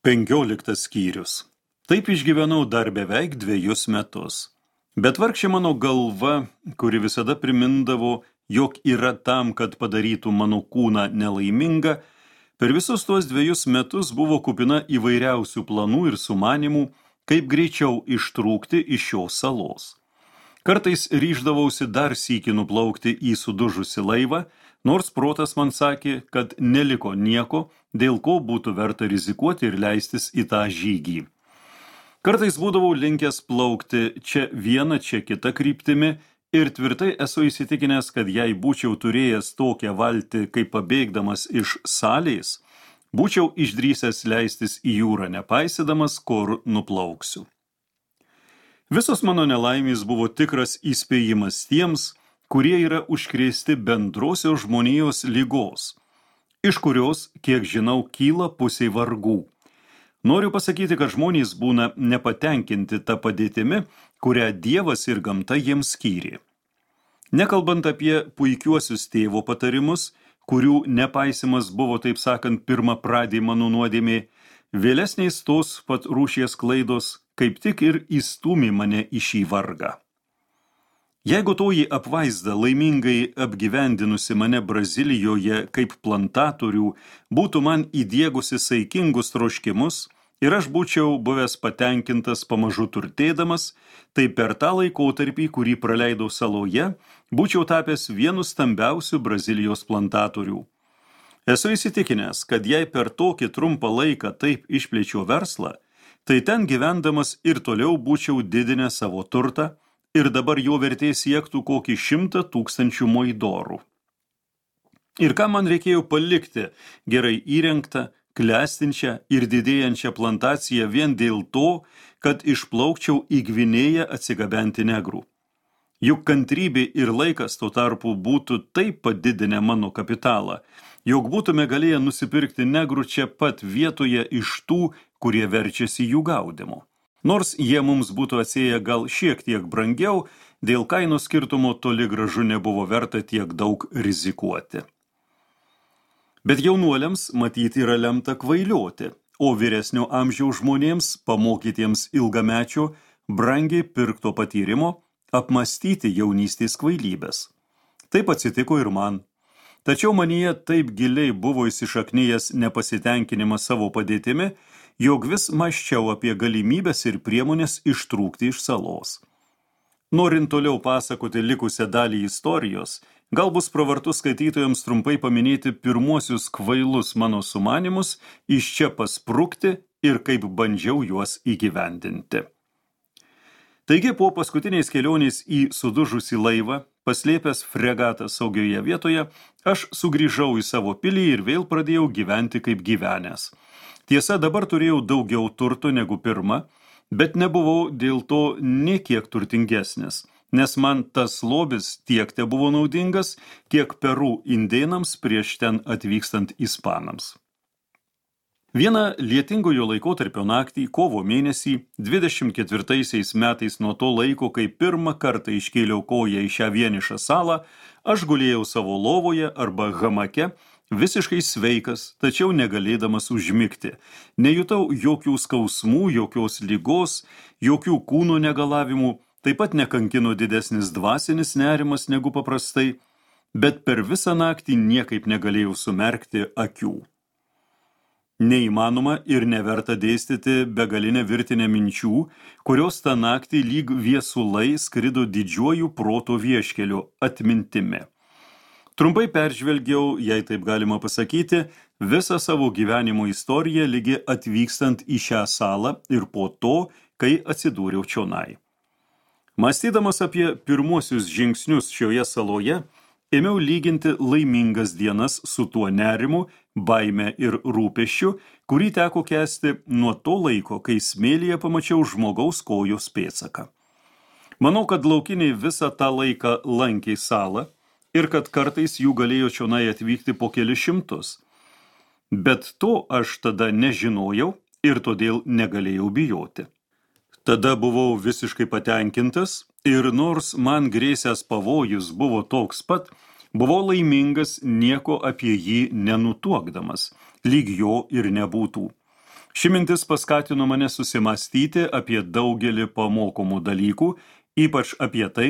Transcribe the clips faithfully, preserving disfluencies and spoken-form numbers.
Penkioliktas skyrius. Taip išgyvenau dar beveik dviejus metus. Bet vargšė mano galva, kuri visada primindavo, jog yra tam, kad padarytų mano kūną nelaimingą, per visus tuos dviejus metus buvo kupina įvairiausių planų ir sumanimų, kaip greičiau ištrūkti iš šios salos. Kartais ryždavausi dar sykį nuplaukti į sudužusį laivą, nors protas man sakė, kad neliko nieko, dėl ko būtų verta rizikuoti ir leistis į tą žygį. Kartais būdavau linkęs plaukti čia viena, čia kita kryptimi ir tvirtai esu įsitikinęs, kad jei būčiau turėjęs tokią valtį, kaip pabėgdamas iš salės, būčiau išdrįsęs leistis į jūrą, nepaisydamas, kur nuplauksiu. Visos mano nelaimės buvo tikras įspėjimas tiems, kurie yra užkrėsti bendrosios žmonijos ligos, iš kurios, kiek žinau, kyla pusiai vargų. Noriu pasakyti, kad žmonės būna nepatenkinti tą padėtimi, kurią Dievas ir gamta jiems skyrė. Nekalbant apie puikiuosius tėvo patarimus, kurių nepaisimas buvo, taip sakant, pirma pradė mano nuodėmė, vėlesniais tos pat rūšies klaidos kaip tik ir įstūmė mane į šį vargą. Jeigu toji apvaizda laimingai apgyvendinusi mane Brazilijoje kaip plantatorių būtų man įdiegusi saikingus troškimus ir aš būčiau buvęs patenkintas pamažu turtėdamas, tai per tą laikotarpį, kurį praleidau saloje, būčiau tapęs vienu stambiausių Brazilijos plantatorių. Esu įsitikinęs, kad jei per tokį trumpą laiką taip išplėčiau verslą, tai ten gyvendamas ir toliau būčiau didinęs savo turtą, ir dabar jo vertė siektų kokį šimtą tūkstančių moidorų. Ir ką man reikėjo palikti gerai įrengtą, klestinčią ir didėjančią plantaciją vien dėl to, kad išplaukčiau į Gvinėją atsigabenti negrų. Juk kantrybė ir laikas tuo tarpu būtų taip padidinę mano kapitalą, jog būtume galėję nusipirkti negrų čia pat vietoje iš tų, kurie verčiasi jų gaudymu. Nors jie mums būtų atsėję gal šiek tiek brangiau, dėl kainos skirtumo toli gražu nebuvo verta tiek daug rizikuoti. Bet jaunuoliams matyti yra lemta kvailioti, o vyresnio amžiaus žmonėms, pamokytiems ilgamečio, brangiai pirkto patyrimo, apmąstyti jaunystės kvailybės. Taip atsitiko ir man. Tačiau manyje taip giliai buvo įsišaknyjęs nepasitenkinimas savo padėtimi, jog vis mąsčiau apie galimybės ir priemonės ištrūkti iš salos. Norint toliau pasakoti likusią dalį istorijos, gal bus pravartu skaitytojams trumpai paminėti pirmuosius kvailus mano sumanymus, iš čia pasprukti ir kaip bandžiau juos įgyvendinti. Taigi po paskutinės kelionės į sudužusį laivą, paslėpęs fregatą saugioje vietoje, aš sugrįžau į savo pilį ir vėl pradėjau gyventi kaip gyvenęs. Tiesa, dabar turėjau daugiau turto negu pirma, bet nebuvau dėl to nė kiek turtingesnis, nes man tas lobis tiek te buvo naudingas, kiek Peru indėnams prieš ten atvykstant ispanams. Vieną lietingojo laikotarpio naktį, kovo mėnesį, dvidešimt ketvirtaisiais metais nuo to laiko, kai pirmą kartą iškėliau koją į šią vienišą salą, aš gulėjau savo lovoje arba hamake, visiškai sveikas, tačiau negalėdamas užmigti. Nejutau jokių skausmų, jokios ligos, jokių kūno negalavimų, taip pat nekankino didesnis dvasinis nerimas negu paprastai, bet per visą naktį niekaip negalėjau sumerkti akių. Neįmanoma ir neverta dėstyti begalinę virtinę minčių, kurios tą naktį lyg viesulai skrido didžiuoju proto vieškeliu atmintimi. Trumpai peržvelgiau, jei taip galima pasakyti, visą savo gyvenimo istoriją lygi atvykstant į šią salą ir po to, kai atsidūriau čionai. Mąstydamas apie pirmuosius žingsnius šioje saloje, ėmiau lyginti laimingas dienas su tuo nerimu, baime ir rūpesčiu, kurį teko kęsti nuo to laiko, kai smėlyje pamačiau žmogaus kojos pėdsaką. Manau, kad laukiniai visą tą laiką lankė salą, ir kad kartais jų galėjo čionai atvykti po kelis šimtus. Bet to aš tada nežinojau ir todėl negalėjau bijoti. Tada buvau visiškai patenkintas ir nors man grėsęs pavojus buvo toks pat, buvau laimingas nieko apie jį nenutuokdamas, lyg jo ir nebūtų. Ši mintis paskatino mane susimastyti apie daugelį pamokomų dalykų, ypač apie tai,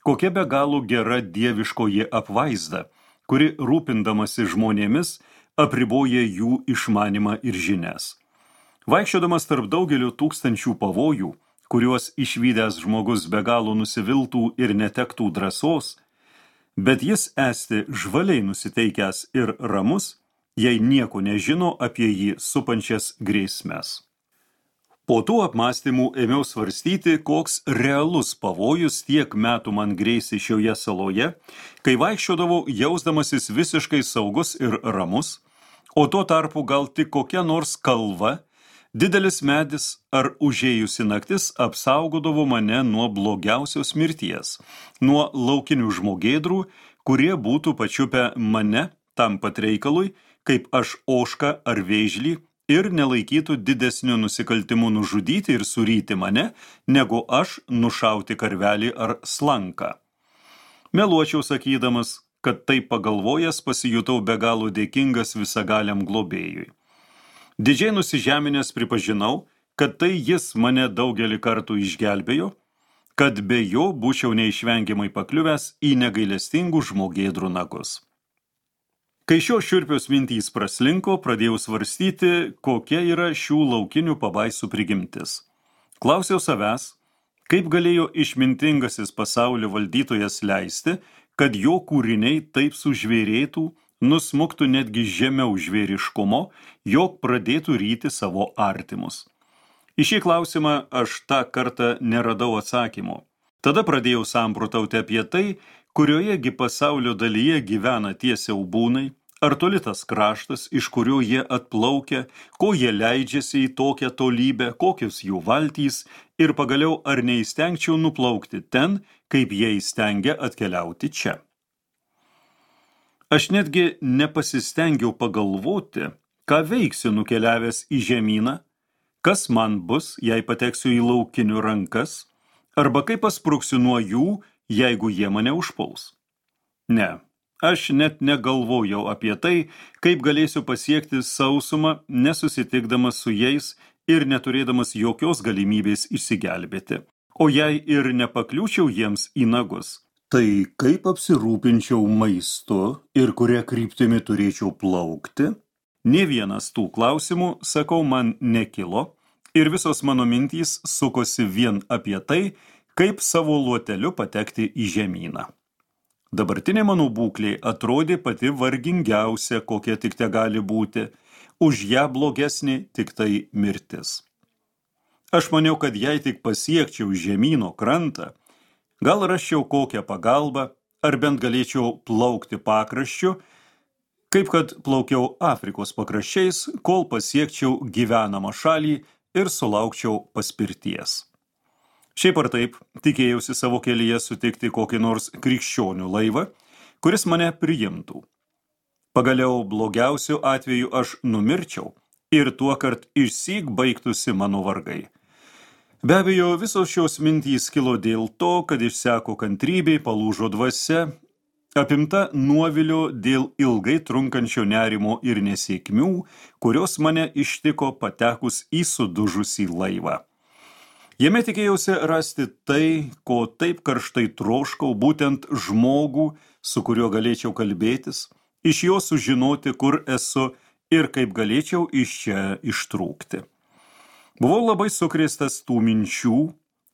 kokia be galo gera dieviškoji apvaizda, kuri rūpindamasi žmonėmis apriboja jų išmanimą ir žinias. Vaikščiodamas tarp daugelio tūkstančių pavojų, kuriuos išvydęs žmogus be galo nusiviltų ir netektų drąsos, bet jis esti žvaliai nusiteikęs ir ramus, jei nieko nežino apie jį supančias grėsmes. Po tų apmąstymų ėmiau svarstyti, koks realus pavojus tiek metų man grėsė šioje saloje, kai vaikščiodavau jausdamasis visiškai saugus ir ramus, o tuo tarpu gal tik kokia nors kalva, didelis medis ar užėjusi naktis apsaugodavo mane nuo blogiausios mirties, nuo laukinių žmogėdrų, kurie būtų pačiupę mane tam pat reikalui, kaip aš ožką ar vėžlį, ir nelaikytų didesniu nusikaltimu nužudyti ir suryti mane, negu aš nušauti karvelį ar slanką. Meluočiau sakydamas, kad taip pagalvojęs pasijutau be galo dėkingas visagaliam globėjui. Didžiai nusižeminęs pripažinau, kad tai jis mane daugelį kartų išgelbėjo, kad be jo būčiau neišvengiamai pakliuvęs į negailestingų žmogėdrų nagus. Kai šios šiurpios mintys praslinko, pradėjau svarstyti, kokia yra šių laukinių pabaisų prigimtis. Klausiau savęs, kaip galėjo išmintingasis pasaulio valdytojas leisti, kad jo kūriniai taip sužvėrėtų, nusmuktų netgi žemiau žvėriškumo, jog pradėtų ryti savo artimus. Į šį klausimą aš tą kartą neradau atsakymo. Tada pradėjau samprotauti apie tai, kuriojegi pasaulio dalyje gyvena tie siaubūnai, ar toli tas kraštas, iš kurio jie atplaukia, ko jie leidžiasi į tokią tolybę, kokios jų valtys, ir pagaliau ar neįstengčiau nuplaukti ten, kaip jie įstengia atkeliauti čia. Aš netgi nepasistengiau pagalvoti, ką veiksiu nukeliavęs į žemyną, kas man bus, jei pateksiu į laukinių rankas, arba kaip paspruksiu nuo jų, jeigu jie mane užpuls. Ne, aš net negalvojau apie tai, kaip galėsiu pasiekti sausumą, nesusitikdamas su jais ir neturėdamas jokios galimybės išsigelbėti. O jei ir nepakliūčiau jiems į nagus, tai kaip apsirūpinčiau maistu ir kuria kryptimi turėčiau plaukti? Nė vienas tų klausimų, sakau, man nekilo ir visos mano mintys sukosi vien apie tai, kaip savo luoteliu patekti į žemyną. Dabartinė mano būklė atrodė pati vargingiausia, kokia tik te gali būti, už ją blogesnė tik tai mirtis. Aš maniau, kad jei tik pasiekčiau žemyno krantą, gal rasčiau kokią pagalbą, ar bent galėčiau plaukti pakraščiu, kaip kad plaukiau Afrikos pakraščiais, kol pasiekčiau gyvenamą šalį ir sulaukčiau paspirties. Šiaip ar taip, tikėjausi savo kelyje sutikti kokį nors krikščionių laivą, kuris mane priimtų. Pagaliau blogiausiu atveju aš numirčiau ir tuokart išsyk baigtųsi mano vargai. Be abejo, visos šios mintys kilo dėl to, kad išseko kantrybė, palūžo dvasia, apimta nuovilio dėl ilgai trunkančio nerimo ir nesėkmių, kurios mane ištiko patekus į sudužusį laivą. Jame tikėjausi rasti tai, ko taip karštai troškau, būtent žmogų, su kuriuo galėčiau kalbėtis, iš jo sužinoti, kur esu ir kaip galėčiau iš čia ištrūkti. Buvau labai sukrėstas tų minčių,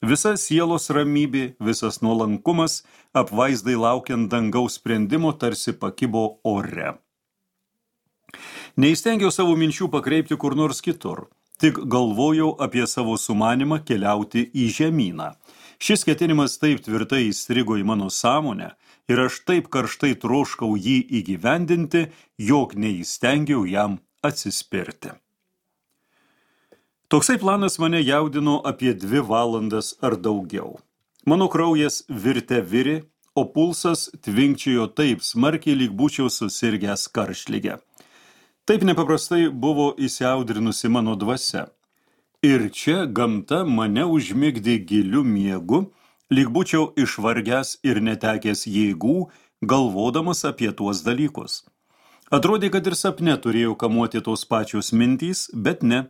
visa sielos ramybė, visas nuolankumas, apvaizdai laukiant dangaus sprendimo, tarsi pakibo ore. Neįstengiau savo minčių pakreipti kur nors kitur. Tik galvojau apie savo sumanimą keliauti į žemyną. Šis ketinimas taip tvirtai įstrigo į mano sąmonę ir aš taip karštai troškau jį įgyvendinti, jog neįstengiau jam atsispirti. Toksai planas mane jaudino apie dvi valandas ar daugiau. Mano kraujas virte virė, o pulsas tvinkčiojo taip smarkiai, lyg būčiau susirgęs karštlige. Taip nepaprastai buvo įsiaudrinusi mano dvasia. Ir čia gamta mane užmigdė giliu miegu, lyg būčiau išvargęs ir netekęs jėgų, galvodamas apie tuos dalykus. Atrodė, kad ir sapne turėjau kamuoti tos pačios mintys, bet ne.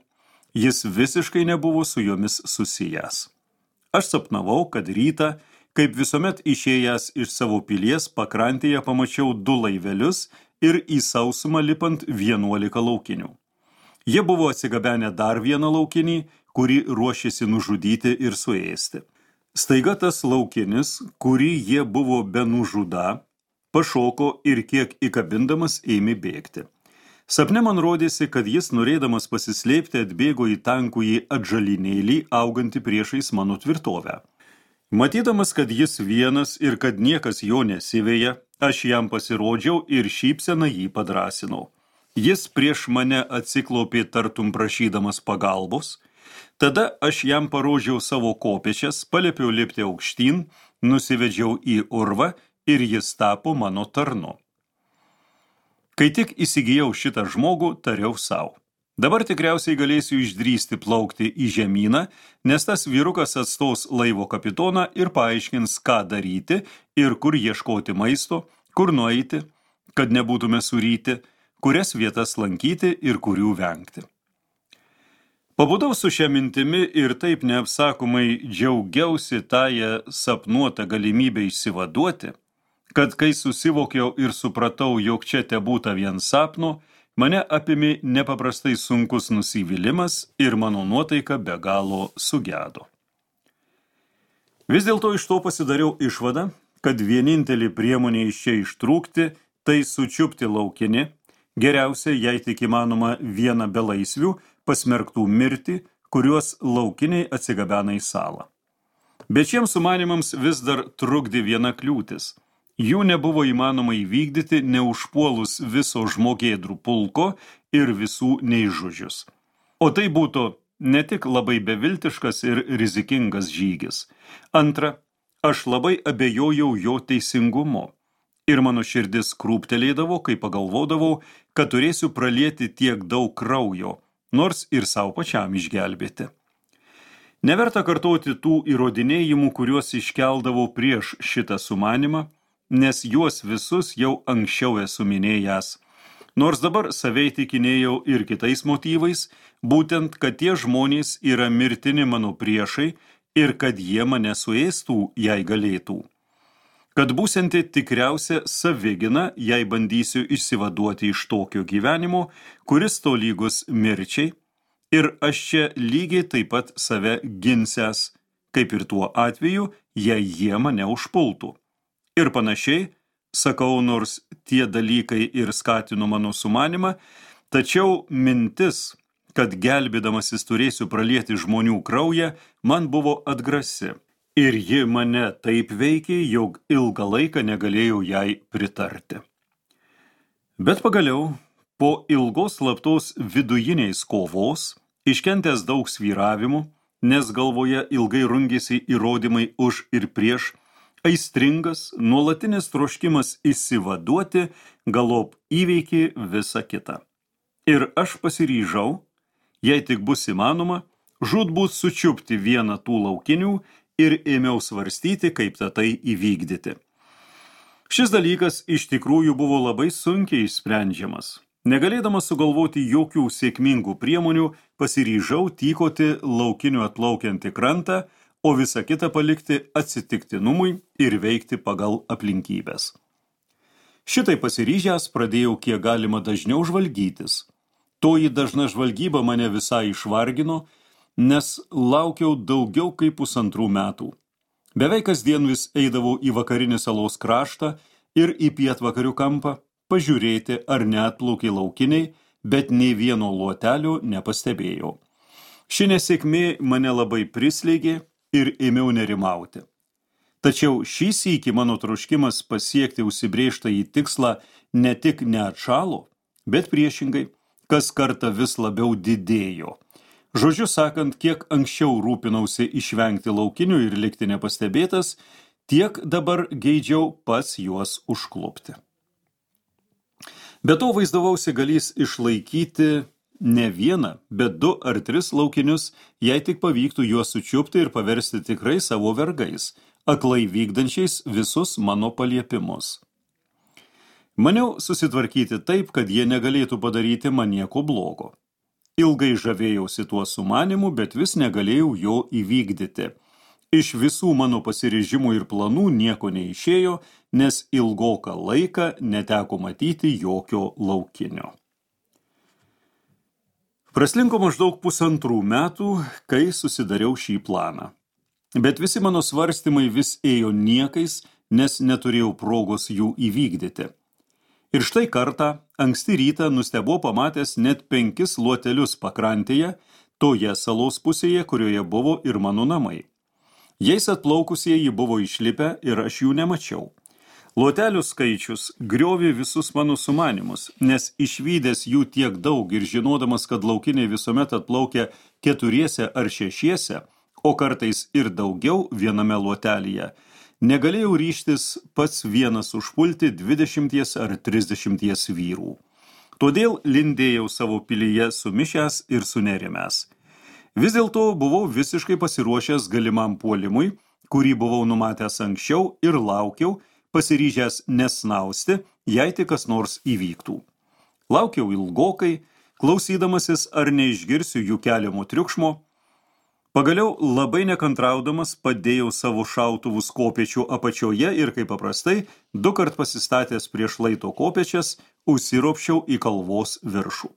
Jis visiškai nebuvo su jomis susijęs. Aš sapnavau, kad rytą, kaip visuomet išėjęs iš savo pilies, pakrantėje pamačiau du laivelius ir į sausumą lipant vienuolika laukinių. Jie buvo atsigabenę dar vieną laukinį, kurį ruošėsi nužudyti ir suėsti. Staiga tas laukinis, kurį jie buvo be nužudą, pašoko ir kiek įkabindamas ėmė bėgti. Sapne man rodėsi, kad jis, norėdamas pasislėpti, atbėgo į tankųjį atžalinėlį, augantį priešais mano tvirtovę. Matydamas, kad jis vienas ir kad niekas jo nesiveja, aš jam pasirodžiau ir šypseną jį padrąsinau. Jis prieš mane atsiklaupė tartum prašydamas pagalbos. Tada aš jam parodžiau savo kopėčias, paliepiau lipti aukštyn, nusivedžiau į urvą ir jis tapo mano tarnu. Kai tik įsigijau šitą žmogų, tariau savo. Dabar tikriausiai galėsiu išdrįsti plaukti į žemyną, nes tas vyrukas atstos laivo kapitoną ir paaiškins, ką daryti ir kur ieškoti maisto, kur nueiti, kad nebūtume suryti, kurias vietas lankyti ir kurių vengti. Pabudau su šia mintimi ir taip neapsakomai džiaugiausi tąją sapnuotą galimybę išsivaduoti, kad kai susivokiau ir supratau, jog čia tebūta vien sapno, mane apėmė nepaprastai sunkus nusivylimas ir mano nuotaika be galo sugedo. Vis dėlto iš to pasidariau išvadą, kad vienintelė priemonė iš čia ištrūkti, tai sučiupti laukinį, geriausia, jei tik įmanoma, vieną belaisvių, pasmerktų mirti, kuriuos laukiniai atsigabena į salą. Bet šiems sumanimams vis dar trukdė viena kliūtis. Jų nebuvo įmanoma įvykdyti, neužpuolus viso žmogėdrų pulko ir visų neižudžius. O tai būtų ne tik labai beviltiškas ir rizikingas žygis. Antra, aš labai abejojau jo teisingumu. Ir mano širdis krūptelėdavo, kai pagalvodavau, kad turėsiu pralieti tiek daug kraujo, nors ir savo pačiam išgelbėti. Neverta kartoti tų įrodinėjimų, kuriuos iškeldavau prieš šitą sumanimą, nes juos visus jau anksčiau esu minėjęs. Nors dabar save įtikinėjau ir kitais motyvais, būtent, kad tie žmonės yra mirtini mano priešai ir kad jie mane suėstų, jei galėtų. Kad būsianti tikriausia savigina, jei bandysiu išsivaduoti iš tokio gyvenimo, kuris tolygus mirčiai, ir aš čia lygiai taip pat save ginsęs, kaip ir tuo atveju, jei jie mane užpultų. Ir panašiai, sakau, nors tie dalykai ir skatino mano sumanimą, tačiau mintis, kad gelbėdamasis turėsiu pralieti žmonių kraują, man buvo atgrasi. Ir ji mane taip veikė, jog ilgą laiką negalėjau jai pritarti. Bet pagaliau, po ilgos slaptos vidujiniais kovos, iškentęs daug svyravimų, nes galvoje ilgai rungėsi įrodymai už ir prieš, aistringas, nuolatinis troškimas išsivaduoti, galop įveikė visą kitą. Ir aš pasiryžau, jei tik bus įmanoma, žūtbūt sučiupti vieną tų laukinių ir ėmiau svarstyti, kaip tai įvykdyti. Šis dalykas iš tikrųjų buvo labai sunkiai išsprendžiamas. Negalėdamas sugalvoti jokių sėkmingų priemonių, pasiryžau tykoti laukinių atplaukiantį krantą, o visą kitą palikti atsitiktinumui ir veikti pagal aplinkybės. Šitai pasiryžęs pradėjau kiek galima dažniau žvalgytis. Toji dažna žvalgyba mane visai išvargino, nes laukiau daugiau kaip pusantrų metų. Beveik kasdien vis eidavau į vakarinį salos kraštą ir į pietvakarių kampą, pažiūrėti, ar neatplaukė laukiniai, bet nei vieno luotelio nepastebėjau. Ši nesėkmė mane labai prislėgė ir ėmiau nerimauti. Tačiau šį sykį mano troškimas pasiekti užsibrėžtą į tikslą ne tik neatšalo, bet priešingai, kas kartą vis labiau didėjo. Žodžiu sakant, kiek anksčiau rūpinausi išvengti laukinių ir likti nepastebėtas, tiek dabar geidžiau pats juos užklupti. Be to vaizdavausi galys išlaikyti ne vieną, bet du ar tris laukinius, jei tik pavyktų juos sučiupti ir paversti tikrai savo vergais, aklai vykdančiais visus mano paliepimus. Maniau susitvarkyti taip, kad jie negalėtų padaryti man nieko blogo. Ilgai žavėjausi tuo sumanimu, bet vis negalėjau jo įvykdyti. Iš visų mano pasiryžimų ir planų nieko neišėjo, nes ilgoką laiką neteko matyti jokio laukinio. Praslinko maždaug pusantrų metų, kai susidariau šį planą. Bet visi mano svarstymai vis ėjo niekais, nes neturėjau progos jų įvykdyti. Ir štai kartą, anksti rytą, nustebau pamatęs net penkis luotelius pakrantėje, toje salos pusėje, kurioje buvo ir mano namai. Jais atplaukusieji buvo išlipę ir aš jų nemačiau. Luotelių skaičius griovė visus mano sumanimus, nes išvydęs jų tiek daug ir žinodamas, kad laukiniai visuomet atplaukia keturiese ar šešiese, o kartais ir daugiau viename luotelyje, negalėjau ryžtis pats vienas užpulti dvidešimties ar trisdešimties vyrų. Todėl lindėjau savo pilyje sumišęs ir sunerimęs. Vis dėlto buvau visiškai pasiruošęs galimam puolimui, kurį buvau numatęs anksčiau ir laukiau, pasiryžęs nesnausti, jei tik kas nors įvyktų. Laukiau ilgokai, klausydamasis ar neišgirsiu jų keliamo triukšmo. Pagaliau labai nekantraudamas padėjau savo šautuvus kopėčių apačioje ir, kaip paprastai, du kart pasistatęs prieš laito kopėčias, užsiropščiau į kalvos viršų.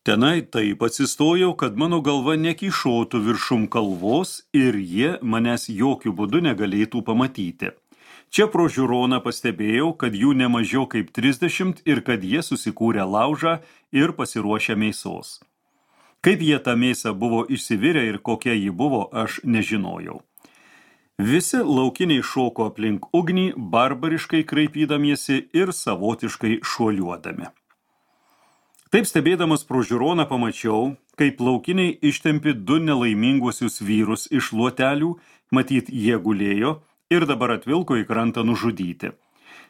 Tenai taip atsistojau, kad mano galva nekyšotų viršum kalvos ir jie manęs jokių būdų negalėtų pamatyti. Čia pro žiūroną pastebėjau, kad jų nemažiau kaip trisdešimt ir kad jie susikūrė laužą ir pasiruošę mėsos. Kaip jie tą mėsą buvo išsivirę ir kokia ji buvo, aš nežinojau. Visi laukiniai šoko aplink ugnį, barbariškai kraipydamiesi ir savotiškai šuoliuodami. Taip stebėdamas pro žiūroną pamačiau, kaip laukiniai ištempi du nelaiminguosius vyrus iš luotelių, matyt jie gulėjo ir dabar atvilko į krantą nužudyti.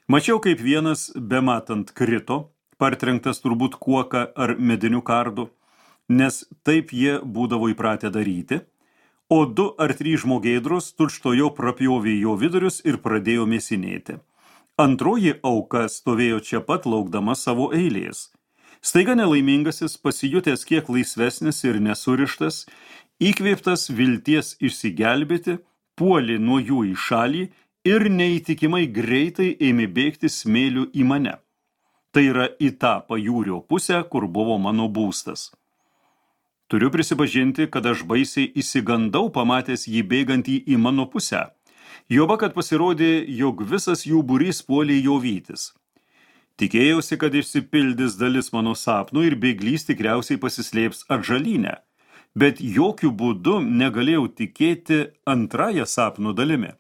Mačiau, kaip vienas bematant krito, partrenktas turbūt kuoka ar mediniu kardu, nes taip jie būdavo įpratę daryti, o du ar trys žmogėdros tučtojo prapjovė jo vidurius ir pradėjo mėsinėti. Antroji auka stovėjo čia pat laukdama savo eilės. Staiga nelaimingasis, pasijutęs kiek laisvesnis ir nesurištas, įkvėptas vilties išsigelbėti, puolė nuo jų į šalį ir neįtikimai greitai ėmė bėgti smėliu į mane. Tai yra į tą pajūrio pusę, kur buvo mano būstas. Turiu prisipažinti, kad aš baisiai įsigandau pamatęs jį bėgantį į mano pusę. Juoba, kad pasirodė, jog visas jų būrys puolė jo vytis. Tikėjausi, kad išsipildys dalis mano sapnų ir bėglys tikriausiai pasislėps atžalyne, bet jokių būdų negalėjau tikėti antrąją sapnų dalimi,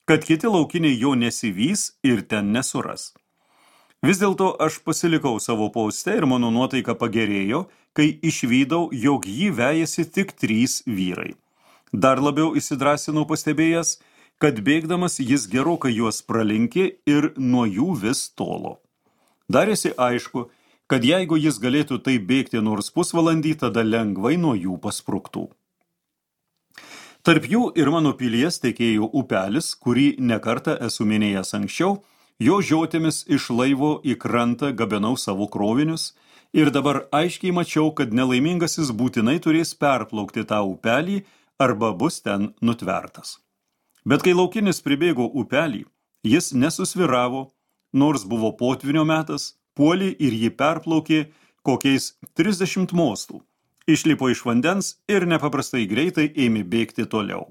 kad kiti laukiniai jo nesivys ir ten nesuras. Vis dėlto aš pasilikau savo poste ir mano nuotaika pagerėjo, kai išvydau, jog jį vejasi tik trys vyrai. Dar labiau įsidrasinau pastebėjęs, kad bėgdamas jis gerokai juos pralinkė ir nuo jų vis tolo. Darėsi aišku, kad jeigu jis galėtų taip bėgti nors pusvalandį, tada lengvai nuo jų paspruktų. Tarp jų ir mano pilies tekėjo upelis, kurį nekartą esu minėjęs anksčiau, jo žiotėmis iš laivo į krantą gabenau savo krovinius ir dabar aiškiai mačiau, kad nelaimingasis būtinai turės perplaukti tą upelį arba bus ten nutvertas. Bet kai laukinis pribėgo upelį, jis nesusviravo, nors buvo potvynio metas, puolė ir jį perplaukė kokiais trisdešimt mostų, išlipo iš vandens ir nepaprastai greitai ėmė bėgti toliau.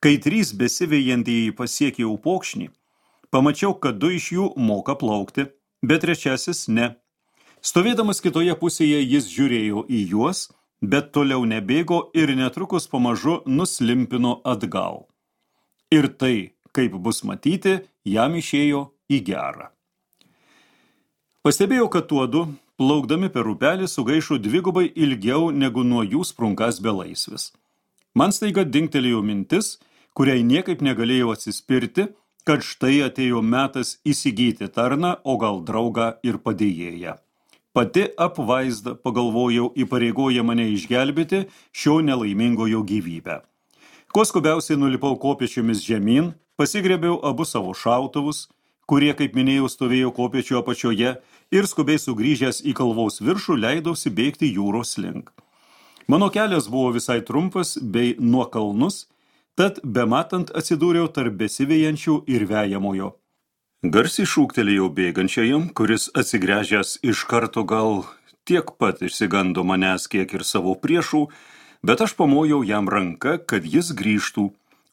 Kai trys besivejantieji pasiekė upokšnį, pamačiau, kad du iš jų moka plaukti, bet trečiasis ne. Stovėdamas kitoje pusėje jis žiūrėjo į juos, bet toliau nebėgo ir netrukus pamažu nuslimpino atgal. Ir tai, kaip bus matyti, jam išėjo į gerą. Pastebėjau, kad tuodu, plaukdami per upelį, sugaišo dvigubai ilgiau negu nuo jų sprunkas belaisvis. Man staiga dingtelėjo mintis, kuriai niekaip negalėjau atsispirti, kad štai atėjo metas įsigyti tarną, o gal draugą ir padėjėją. Pati apvaizda, pagalvojau, įpareigoja mane išgelbėti šio nelaimingojo gyvybę. Kuo skubiausiai nulipau kopėčiomis žemyn, pasigrėbiau abu savo šautuvus, kurie, kaip minėjau, stovėjo kopėčių apačioje, ir skubiai sugrįžęs į kalvos viršų leidausi bėgti jūros link. Mano kelias buvo visai trumpas bei nuokalnus, tad bematant atsidūriau tarp besivejančių ir vejamojo. Garsiai šūktelėjau bėgančiajam, kuris atsigręžęs iš karto gal tiek pat išsigando manęs kiek ir savo priešų, bet aš pamojau jam ranką, kad jis grįžtų,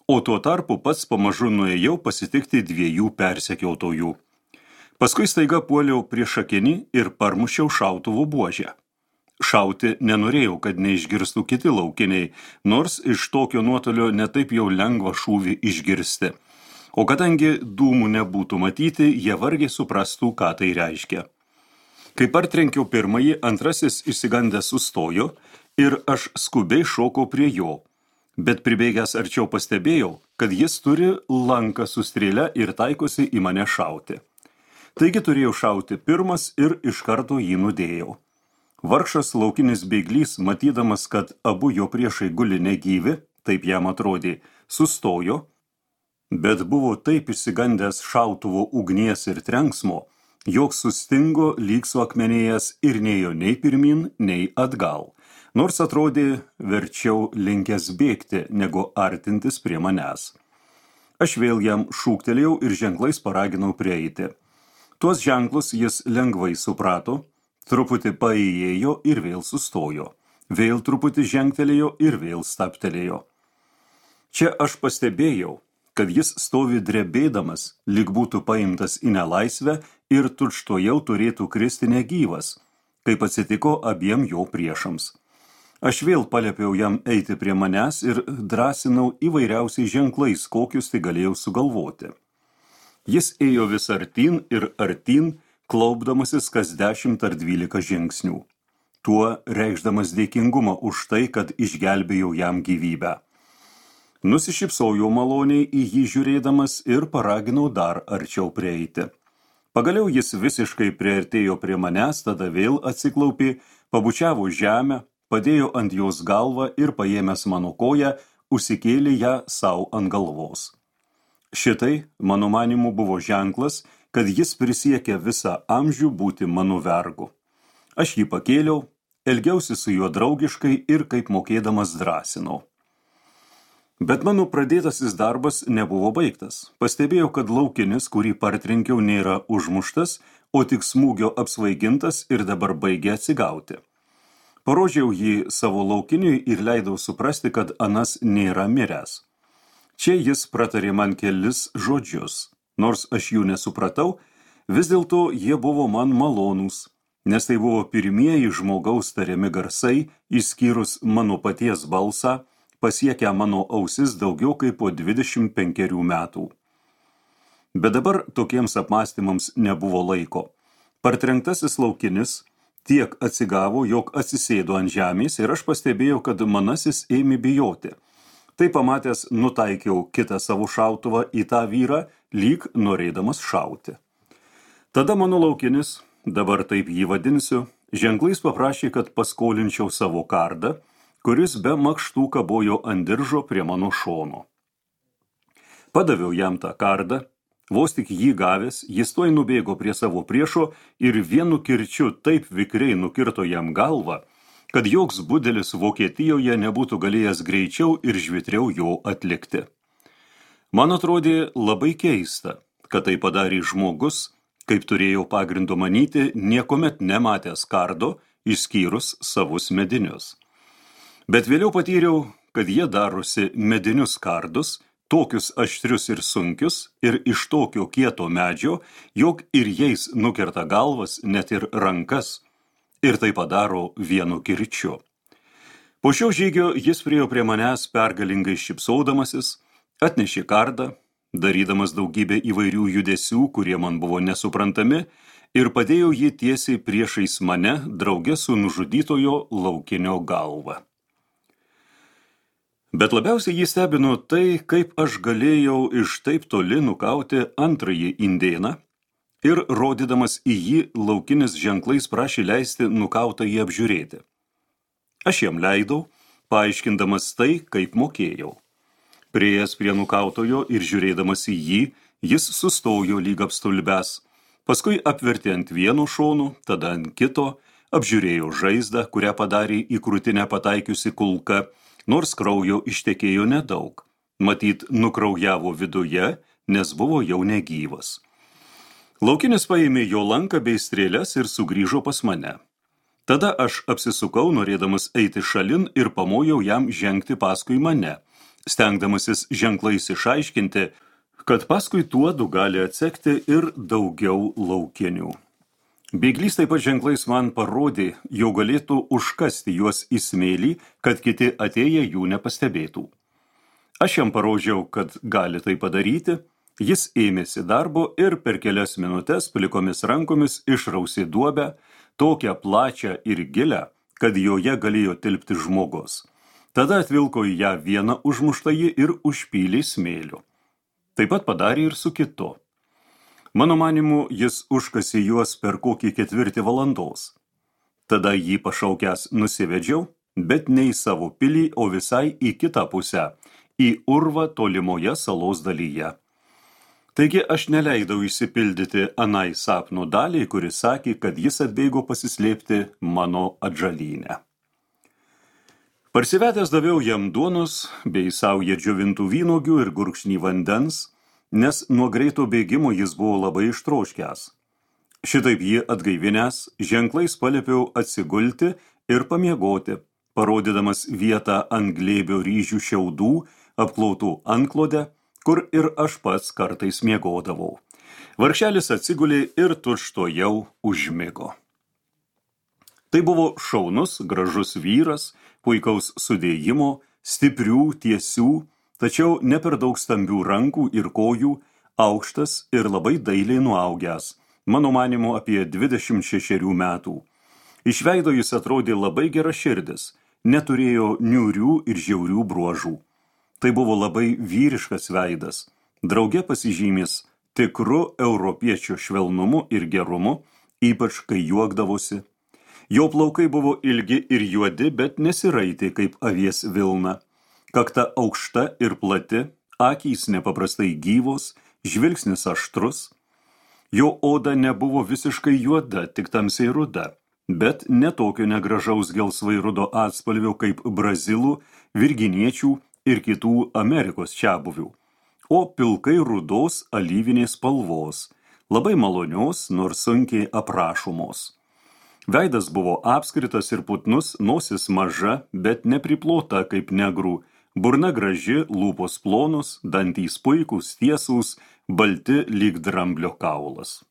o tuo tarpu pats pamažu nuėjau pasitikti dviejų persekiotojų. Paskui staiga puoliau prieš akinį ir parmušiau šautuvo buožę. Šauti nenorėjau, kad neišgirstų kiti laukiniai, nors iš tokio nuotolio netaip jau lengva šūvį išgirsti. O kadangi dūmų nebūtų matyti, jie vargiai suprastų, ką tai reiškia. Kai partrenkiau pirmąjį, antrasis išsigandęs sustojo ir aš skubiai šokau prie jo, bet pribėgęs arčiau pastebėjau, kad jis turi lanką su strėle ir taikosi į mane šauti. Taigi turėjau šauti pirmas ir iš karto jį nudėjau. Vargšas laukinis bėglys, matydamas, kad abu jo priešai guli negyvi, taip jam atrodė, sustojo, bet buvo taip išsigandęs šautuvo ugnies ir trenksmo, jog sustingo lyg suakmenėjęs ir nėjo nei pirmin, nei atgal, nors atrodė verčiau linkęs bėgti, negu artintis prie manęs. Aš vėl jam šūktelėjau ir ženklais paraginau prieiti. Tuos ženklus jis lengvai suprato, truputį paėjėjo ir vėl sustojo, vėl truputį žengtelėjo ir vėl staptelėjo. Čia aš pastebėjau, kad jis stovi drebėdamas, lyg būtų paimtas į nelaisvę ir tučtuojau turėtų kristi negyvas, kaip atsitiko abiem jo priešams. Aš vėl paliepiau jam eiti prie manęs ir drąsinau įvairiausiais ženklais, kokius tai galėjau sugalvoti. Jis ėjo vis artyn ir artyn, klaupdamasis kas dešimt ar dvylika žingsnių, tuo reikšdamas dėkingumą už tai, kad išgelbėjau jam gyvybę. Nusišypsojau maloniai į jį žiūrėdamas ir paraginau dar arčiau prieiti. Pagaliau jis visiškai priartėjo prie manęs, tada vėl atsiklaupė, pabučiavo žemę, padėjo ant jos galvą ir paėmęs mano koją, užsikėlė ją savo ant galvos. Šitai, mano manimu, buvo ženklas, kad jis prisiekė visą amžių būti mano vergu. Aš jį pakėliau, elgiausi su juo draugiškai ir kaip mokėdamas drąsinau. Bet mano pradėtasis darbas nebuvo baigtas. Pastebėjau, kad laukinis, kurį partrenkiau, nėra užmuštas, o tik smūgio apsvaigintas ir dabar baigia atsigauti. Parodžiau jį savo laukiniui ir leidau suprasti, kad anas nėra miręs. Čia jis pratarė man kelis žodžius. Nors aš jų nesupratau, vis dėlto jie buvo man malonūs, nes tai buvo pirmieji žmogaus tariami garsai, išskyrus mano paties balsą, pasiekę mano ausis daugiau kaip po dvidešimt penkerių metų. Bet dabar tokiems apmąstymams nebuvo laiko. Partrenktasis laukinis tiek atsigavo, jog atsisėdo ant žemės ir aš pastebėjau, kad manasis ėmė bijoti. Tai pamatęs nutaikiau kitą savo šautuvą į tą vyrą, lyg norėdamas šauti. Tada mano laukinis, dabar taip jį vadinsiu, ženklais paprašė, kad paskolinčiau savo kardą, kuris be makštų kabojo ant diržo prie mano šono. Padaviau jam tą kardą, vos tik jį gavęs, jis tuoj nubėgo prie savo priešo ir vienu kirčiu taip vikriai nukirto jam galvą, kad joks budelis Vokietijoje nebūtų galėjęs greičiau ir žvitriau jo atlikti. Man atrodė labai keista, kad tai padarė žmogus, kaip turėjau pagrindo manyti, niekomet nematęs kardo, išskyrus savus medinius. Bet vėliau patyriau, kad jie darosi medinius kardus, tokius aštrius ir sunkius, ir iš tokio kieto medžio, jog ir jais nukerta galvas, net ir rankas, ir tai padaro vienu kirčiu. Po šio žygio jis priėjo prie manęs pergalingai šypsodamasis, atnešė kardą, darydamas daugybę įvairių judesių, kurie man buvo nesuprantami, ir padėjo jį tiesiai priešais mane, drauge su nužudytojo laukinio galva. Bet labiausiai jį stebino tai, kaip aš galėjau iš taip toli nukauti antrąjį indėną, ir rodydamas į jį laukinis ženklais prašė leisti nukautą jį apžiūrėti. Aš jam leidau, paaiškindamas tai, kaip mokėjau. Priėjęs prie nukautojo ir žiūrėdamas į jį, jis sustojo lyg apstulbęs, Paskui apvertė ant vieno šonų, tada ant kito, apžiūrėjo žaizdą, kurią padarė į krūtinę pataikiusi kulka, nors kraujo ištekėjo nedaug. Matyt, nukraujavo viduje, nes buvo jau negyvas. Laukinis paėmė jo lanką bei strėles ir sugrįžo pas mane. Tada aš apsisukau, norėdamas eiti šalin ir pamojau jam žengti paskui mane, stengdamasis ženklais išaiškinti, kad paskui tuodu gali atsekti ir daugiau laukinių. Bėglys taip pat ženklais man parodė, jau galėtų užkasti juos į smėlį, kad kiti atėję jų nepastebėtų. Aš jam parodžiau, kad gali tai padaryti, jis ėmėsi darbo ir per kelias minutes plikomis rankomis išrausė duobę, tokią plačią ir gilę, kad joje galėjo tilpti žmogus. Tada atvilko į ją vieną užmuštąjį ir užpylė smėliu. Taip pat padarė ir su kitu. Mano manimu, jis užkasė juos per kokį ketvirtį valandos. Tada jį pašaukęs nusivedžiau, bet ne į savo pilį, o visai į kitą pusę, į urvą tolimoje salos dalyje. Taigi aš neleidau išsipildyti anai sapno daliai, kuris sakė, kad jis atbėgo pasislėpti mano atžalynę. Parsivedęs daviau jam duonos, bei saują džiovintų vynuogių ir gurkšnį vandens, nes nuo greito bėgimo jis buvo labai ištroškęs. Šitaip jį atgaivinęs, ženklais paliepiau atsigulti ir pamiegoti, parodydamas vietą ant glėbio ryžių šiaudų, apklautų antklodę, kur ir aš pats kartais miegodavau. Vargšelis atsigulė ir tučtuojau užmigo. Tai buvo šaunus, gražus vyras, puikaus sudėjimo, stiprių, tiesių, tačiau ne per daug stambių rankų ir kojų, aukštas ir labai dailiai nuaugęs, mano manimu apie dvidešimt šešerių metų. Iš veido jis atrodė labai geraširdis, neturėjo niūrių ir žiaurių bruožų. Tai buvo labai vyriškas veidas, drauge pasižymės tikru europiečio švelnumu ir gerumu, ypač kai juokdavosi. Jo plaukai buvo ilgi ir juodi, bet nesiraitė kaip avies vilna. Kakta aukšta ir plati, akys nepaprastai gyvos, žvilgsnis aštrus. Jo oda nebuvo visiškai juoda, tik tamsiai ruda, bet netokio negražaus gelsvai rudo atspalvio kaip brazilų, virginiečių ir kitų Amerikos čiabuvių, o pilkai rudos alyvinės spalvos, labai malonios, nors sunkiai aprašomos. Veidas buvo apskritas ir putnus, nosis maža, bet nepriplota kaip negrų, burna graži, lūpos plonos, dantys puikūs, tiesūs, balti lyg dramblio kaulas.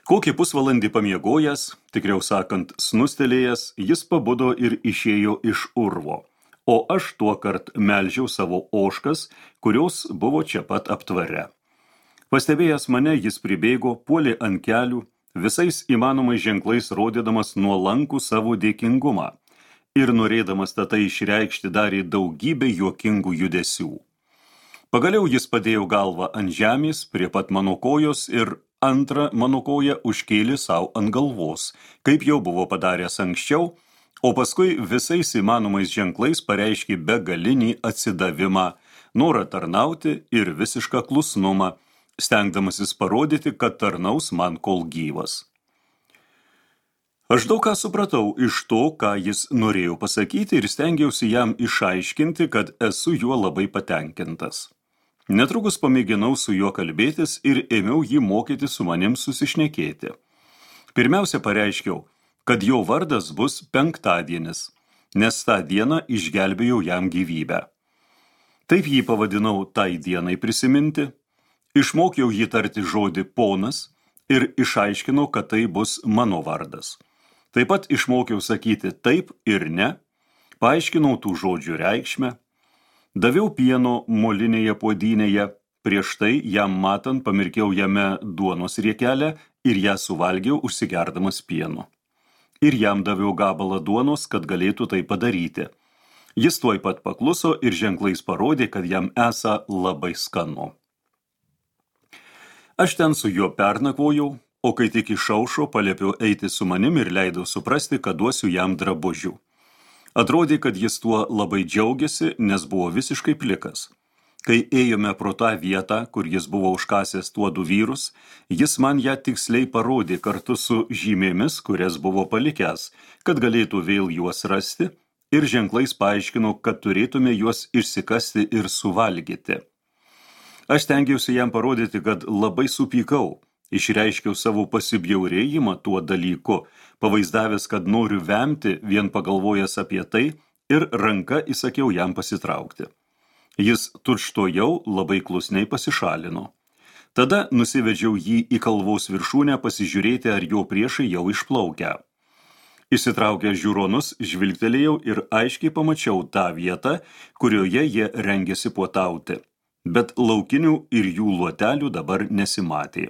Kokį pusvalandį pamiegojęs, tikriau sakant, snustelėjęs, jis pabudo ir išėjo iš urvo, o aš tuokart melžiau savo ožkas, kurios buvo čia pat aptvare. Pastebėjęs mane, jis pribėgo, puolė ant kelių, visais įmanomais ženklais rodydamas nuolankų savo dėkingumą ir norėdamas tai išreikšti darė daugybę juokingų judesių. Pagaliau jis padėjo galvą ant žemės prie pat mano kojos ir antrą mano koją užkėlė savo ant galvos, kaip jau buvo padaręs anksčiau, o paskui visais įmanomais ženklais pareiškė begalinį atsidavimą, norą tarnauti ir visišką klusnumą, stengdamasis parodyti, kad tarnaus man kol gyvas. Aš daug ką supratau iš to, ką jis norėjo pasakyti ir stengiausi jam išaiškinti, kad esu juo labai patenkintas. Netrukus pamėginau su juo kalbėtis ir ėmiau jį mokyti su manim susišnekėti. Pirmiausia pareiškiau, kad jo vardas bus penktadienis, nes tą dieną išgelbėjau jam gyvybę. Taip jį pavadinau tai dienai prisiminti, išmokiau jį tarti žodį ponas ir išaiškinau, kad tai bus mano vardas. Taip pat išmokiau sakyti taip ir ne, paaiškinau tų žodžių reikšmę, daviau pieno molinėje puodynėje, prieš tai jam matant pamirkiau jame duonos riekelę ir ją suvalgiau užsigerdamas pienu. Ir jam daviau gabalą duonos, kad galėtų tai padaryti. Jis tuoj pat pakluso ir ženklais parodė, kad jam esą labai skanu. Aš ten su juo pernakvojau, o kai tik išaušo, paliepiau eiti su manim ir leidau suprasti, kad duosiu jam drabužių. Atrodė, kad jis tuo labai džiaugiasi, nes buvo visiškai plikas. Kai ėjome pro tą vietą, kur jis buvo užkasęs tuodų vyrus, jis man ją tiksliai parodė kartu su žymėmis, kurias buvo palikęs, kad galėtų vėl juos rasti, ir ženklais paaiškino, kad turėtume juos išsikasti ir suvalgyti. Aš stengiausi jam parodyti, kad labai supykau, išreiškiau savo pasibjaurėjimą tuo dalyku, pavaizdavęs, kad noriu vemti, vien pagalvojęs apie tai, ir ranka įsakiau jam pasitraukti. Jis tučtojau labai klusniai pasišalino. Tada nusivedžiau jį į kalvos viršūnę pasižiūrėti, ar jo priešai jau išplaukia. Įsitraukęs žiūronus, žvilgtelėjau ir aiškiai pamačiau tą vietą, kurioje jie rengėsi puotauti, bet laukinių ir jų luotelių dabar nesimatė.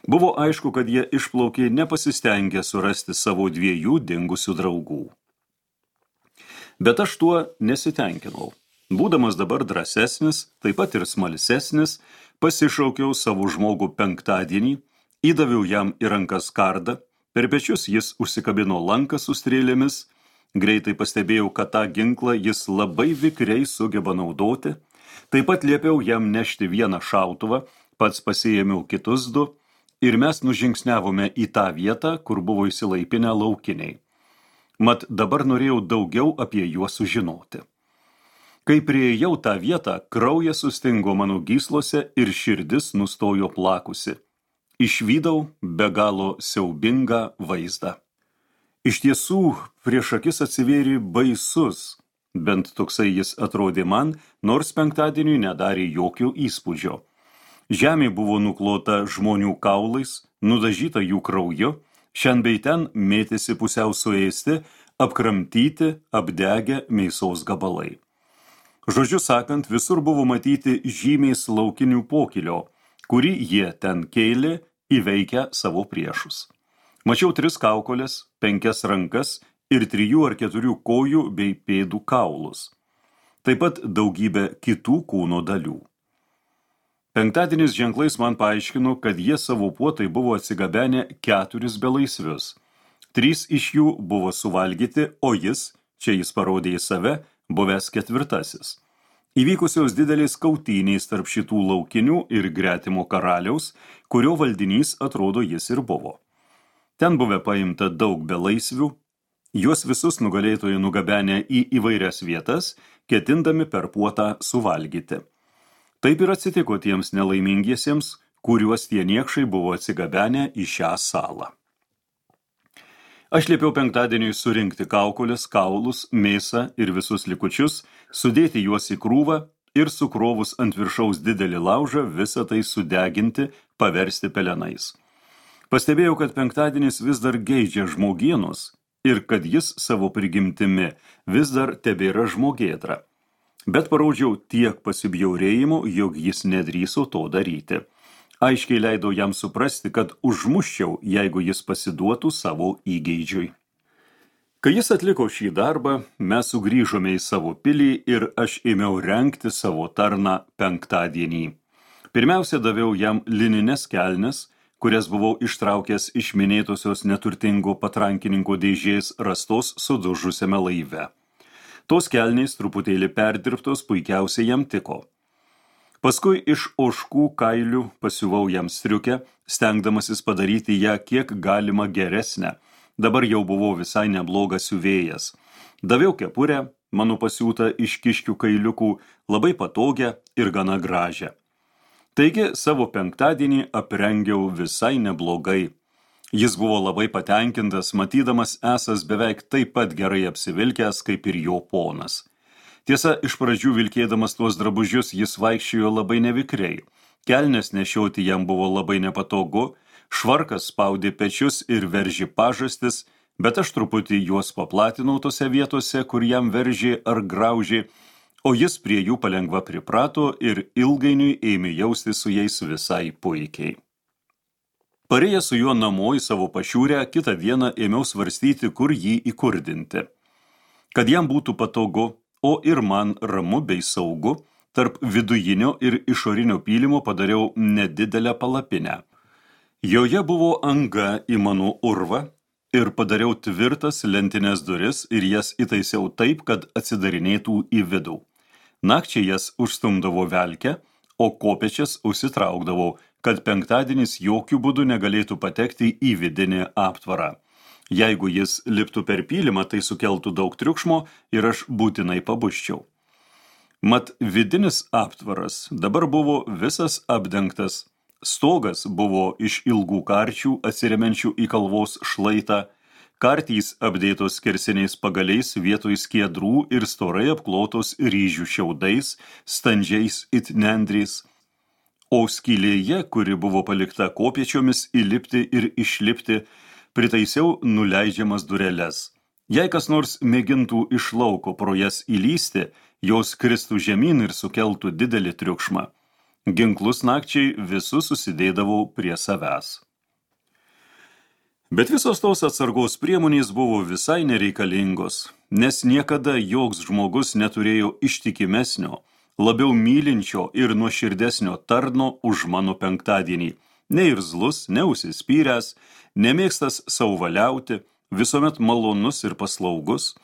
Buvo aišku, kad jie išplaukė nepasistengę surasti savo dviejų dingusių draugų. Bet aš tuo nesitenkinau. Būdamas dabar drąsesnis, taip pat ir smalsesnis, pasišaukiau savo žmogų penktadienį, įdaviau jam į rankas kardą, per pečius jis užsikabino lanką su strėlėmis, greitai pastebėjau, kad tą ginklą jis labai vikriai sugeba naudoti, taip pat liepiau jam nešti vieną šautuvą, pats pasiėmiau kitus du, ir mes nužingsniavome į tą vietą, kur buvo įsilaipinę laukiniai. Mat dabar norėjau daugiau apie juos sužinoti. Kai priėjau tą vietą, kraujas sustingo mano gyslose ir širdis nustojo plakusi. Išvydau be galo siaubingą vaizdą. Iš tiesų, prieš akis atsivėrė baisus, bent toksai jis atrodė man, nors penktadieniui nedarė jokio įspūdžio. Žemė buvo nuklota žmonių kaulais, nudažyta jų krauju, šiandien bei ten mėtėsi pusiau suėsti, apkramtyti, apdegę mėsos gabalai. Žodžiu sakant, visur buvo matyti žymės laukinių pokylio, kurį jie ten kėlė įveikę savo priešus. Mačiau tris kaukolės, penkias rankas ir trijų ar keturių kojų bei pėdų kaulus. Taip pat daugybę kitų kūno dalių. Penktadienis ženklais man paaiškino, kad jie savo puotai buvo atsigabenę keturis belaisvius. Trys iš jų buvo suvalgyti, o jis, čia jis parodė į save, buvęs ketvirtasis. Įvykusios didelės kautynės tarp šitų laukinių ir gretimo karaliaus, kurio valdinys atrodo jis ir buvo. Ten buvę paimta daug belaisvių, juos visus nugalėtojai nugabenę į įvairias vietas, ketindami per puotą suvalgyti. Taip ir atsitiko tiems nelaimingiesiems, kuriuos tie niekšai buvo atsigabenę į šią salą. Aš liepiau penktadieniui surinkti kaukolės, kaulus, mėsą ir visus likučius, sudėti juos į krūvą ir sukrovus ant viršaus didelį laužą visą tai sudeginti, paversti pelenais. Pastebėjau, kad penktadienis vis dar geidžia žmogienos ir kad jis savo prigimtimi vis dar tebėra žmogėdra. Bet parodžiau tiek pasibjaurėjimo, jog jis nedrįso to daryti. Aiškiai leidau jam suprasti, kad užmuščiau, jeigu jis pasiduotų savo įgeidžiui. Kai jis atliko šį darbą, mes sugrįžome į savo pilį ir aš ėmiau rengti savo tarną penktadienį. Pirmiausia, daviau jam linines kelnes, kurias buvau ištraukęs iš minėtosios neturtingo patrankininko dėžės rastos sudužusiame laive. Tos kelnės truputėlį perdirbtos puikiausiai jam tiko. Paskui iš ožkų kailių pasiuvau jam striukę, stengdamasis padaryti ją kiek galima geresnę. Dabar jau buvau visai neblogas siuvėjas. Daviau kepurę, mano pasiūtą iš kiškių kailiukų, labai patogią ir gana gražią. Taigi savo penktadienį aprengiau visai neblogai. Jis buvo labai patenkintas, matydamas esas beveik taip pat gerai apsivilkęs kaip ir jo ponas. Tiesa, iš pradžių vilkėdamas tuos drabužius jis vaikščiojo labai nevikriai. Kelnes nešioti jam buvo labai nepatogu, švarkas spaudė pečius ir veržė pažastis, bet aš truputį juos paplatinau tose vietose, kur jam veržė ar graužė, o jis prie jų palengva priprato ir ilgainiui ėmė jausti su jais visai puikiai. Parėjęs su juo namo į savo pašiūrę, kitą dieną ėmiau svarstyti, kur jį įkurdinti. Kad jam būtų patogu, o ir man ramu bei saugu, tarp vidujinio ir išorinio pylimo padariau nedidelę palapinę. Joje buvo anga į mano urvą ir padariau tvirtas lentines duris ir jas įtaisiau taip, kad atsidarinėtų į vidų. Nakčiai jas užstumdavo velkę, o kopėčias užsitraukdavo, kad penktadienis jokių būdų negalėtų patekti į vidinį aptvarą. Jeigu jis liptų per pylimą, tai sukeltų daug triukšmo ir aš būtinai pabuščiau. Mat vidinis aptvaras dabar buvo visas apdengtas. Stogas buvo iš ilgų karčių atsiremiančių į kalvos šlaitą, kartys apdėtos skersiniais pagaliais vietoj skiedrų ir storai apklotos ryžių šiaudais, standžiais it nendrės, o skylėje, kuri buvo palikta kopėčiomis įlipti ir išlipti, pritaisiau nuleidžiamas dureles. Jei kas nors mėgintų iš lauko pro jas įlysti, jos kristų žemyn ir sukeltų didelį triukšmą. Ginklus nakčiai visus susidėdavau prie savęs. Bet visos tos atsargos priemonės buvo visai nereikalingos, nes niekada joks žmogus neturėjo ištikimesnio, labiau mylinčio ir nuoširdesnio tarno už mano penktadienį. Neirzlus, neužsispyręs, nemėgstas sauvaliauti, visuomet malonus ir paslaugus,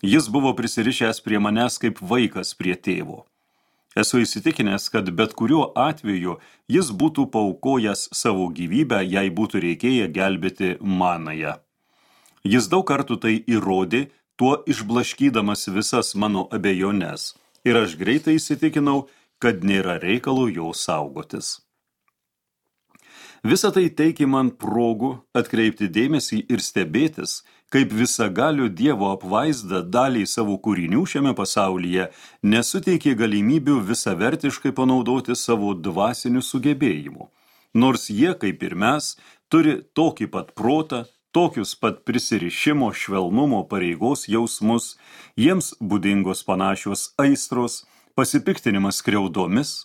jis buvo prisirišęs prie manęs kaip vaikas prie tėvo. Esu įsitikinęs, kad bet kuriuo atveju jis būtų paaukojęs savo gyvybę, jei būtų reikėję gelbėti manąją. Jis daug kartų tai įrodė, tuo išblaškydamas visas mano abejones, ir aš greitai įsitikinau, kad nėra reikalo jo saugotis. Visa tai teikė man progų atkreipti dėmesį ir stebėtis, kaip visagalio Dievo apvaizda daliai savo kūrinių šiame pasaulyje nesuteikė galimybių visavertiškai panaudoti savo dvasinių sugebėjimų. Nors jie, kaip ir mes, turi tokį pat protą, tokius pat prisirišimo, švelnumo, pareigos jausmus, jiems būdingos panašios aistros, pasipiktinimas skriaudomis,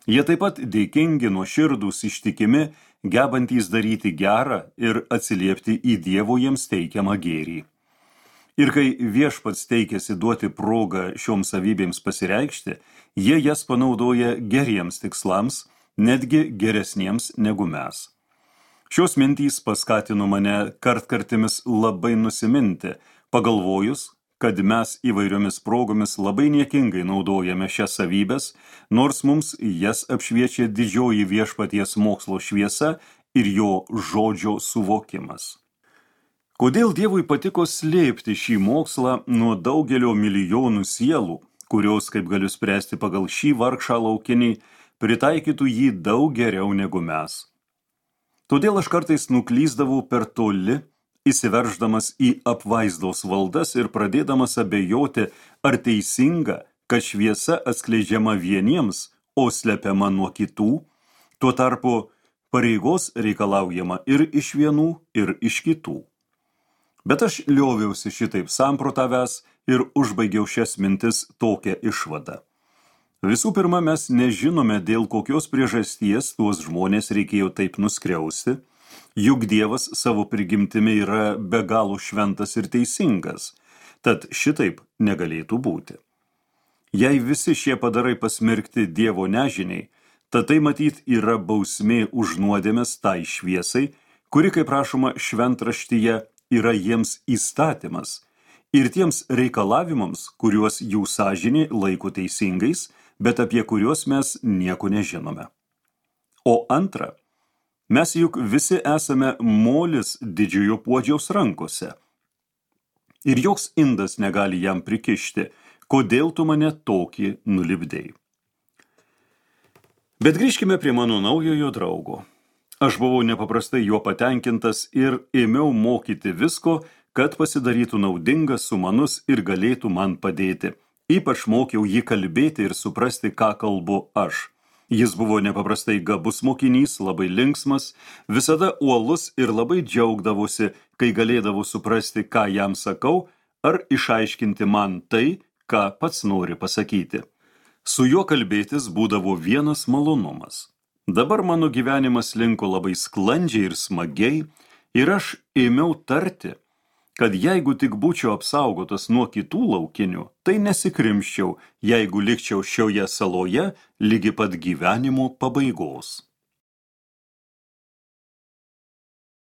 jie taip pat dėkingi, nuoširdūs, ištikimi, gebantys daryti gerą ir atsiliepti į Dievo jiems teikiamą gėrį. Ir kai viešpats teikėsi duoti progą šioms savybėms pasireikšti, jie jas panaudoja geriems tikslams, netgi geresniems negu mes. Šios mintys paskatino mane kartkartimis labai nusiminti, pagalvojus, kad mes įvairiomis progomis labai niekingai naudojame šias savybės, nors mums jas apšviečia didžioji viešpaties mokslo šviesa ir jo žodžio suvokimas. Kodėl Dievui patiko slėpti šį mokslą nuo daugelio milijonų sielų, kurios, kaip galiu spręsti pagal šį vargšą laukinį, pritaikytų jį daug geriau negu mes? Todėl aš kartais nuklysdavau per toli, įsiverždamas į apvaizdos valdas ir pradėdamas abejoti, ar teisinga, kad šviesa atskleidžiama vieniems, o slepiama nuo kitų, tuo tarpu pareigos reikalaujama ir iš vienų, ir iš kitų. Bet aš lioviausi šitaip samprotavęs ir užbaigiau šias mintis tokią išvadą. Visų pirma, mes nežinome, dėl kokios priežasties tuos žmonės reikėjo taip nuskriausti, juk Dievas savo prigimtimi yra be galo šventas ir teisingas, tad šitaip negalėtų būti. Jei visi šie padarai pasmerkti Dievo nežiniai, tad tai matyt yra bausmė už nuodėmes tai šviesai, kuri, kaip rašoma šventraštyje, yra jiems įstatymas, ir tiems reikalavimams, kuriuos jų sąžinė laiko teisingais, bet apie kuriuos mes nieko nežinome. O antra, mes juk visi esame molis didžiojo puodžiaus rankose. Ir joks indas negali jam prikišti, kodėl tu mane tokį nulipdei. Bet grįžkime prie mano naujojo draugo. Aš buvau nepaprastai juo patenkintas ir ėmiau mokyti visko, kad pasidarytų naudingas, sumanus ir galėtų man padėti. Ypač mokiau jį kalbėti ir suprasti, ką kalbu aš. Jis buvo nepaprastai gabus mokinys, labai linksmas, visada uolus ir labai džiaugdavosi, kai galėdavo suprasti, ką jam sakau, ar išaiškinti man tai, ką pats nori pasakyti. Su juo kalbėtis būdavo vienas malonumas. Dabar mano gyvenimas linko labai sklandžiai ir smagiai, ir aš ėmiau tarti, kad jeigu tik būčiau apsaugotas nuo kitų laukinių, tai nesikrimščiau, jeigu likčiau šioje saloje ligi pat gyvenimo pabaigos.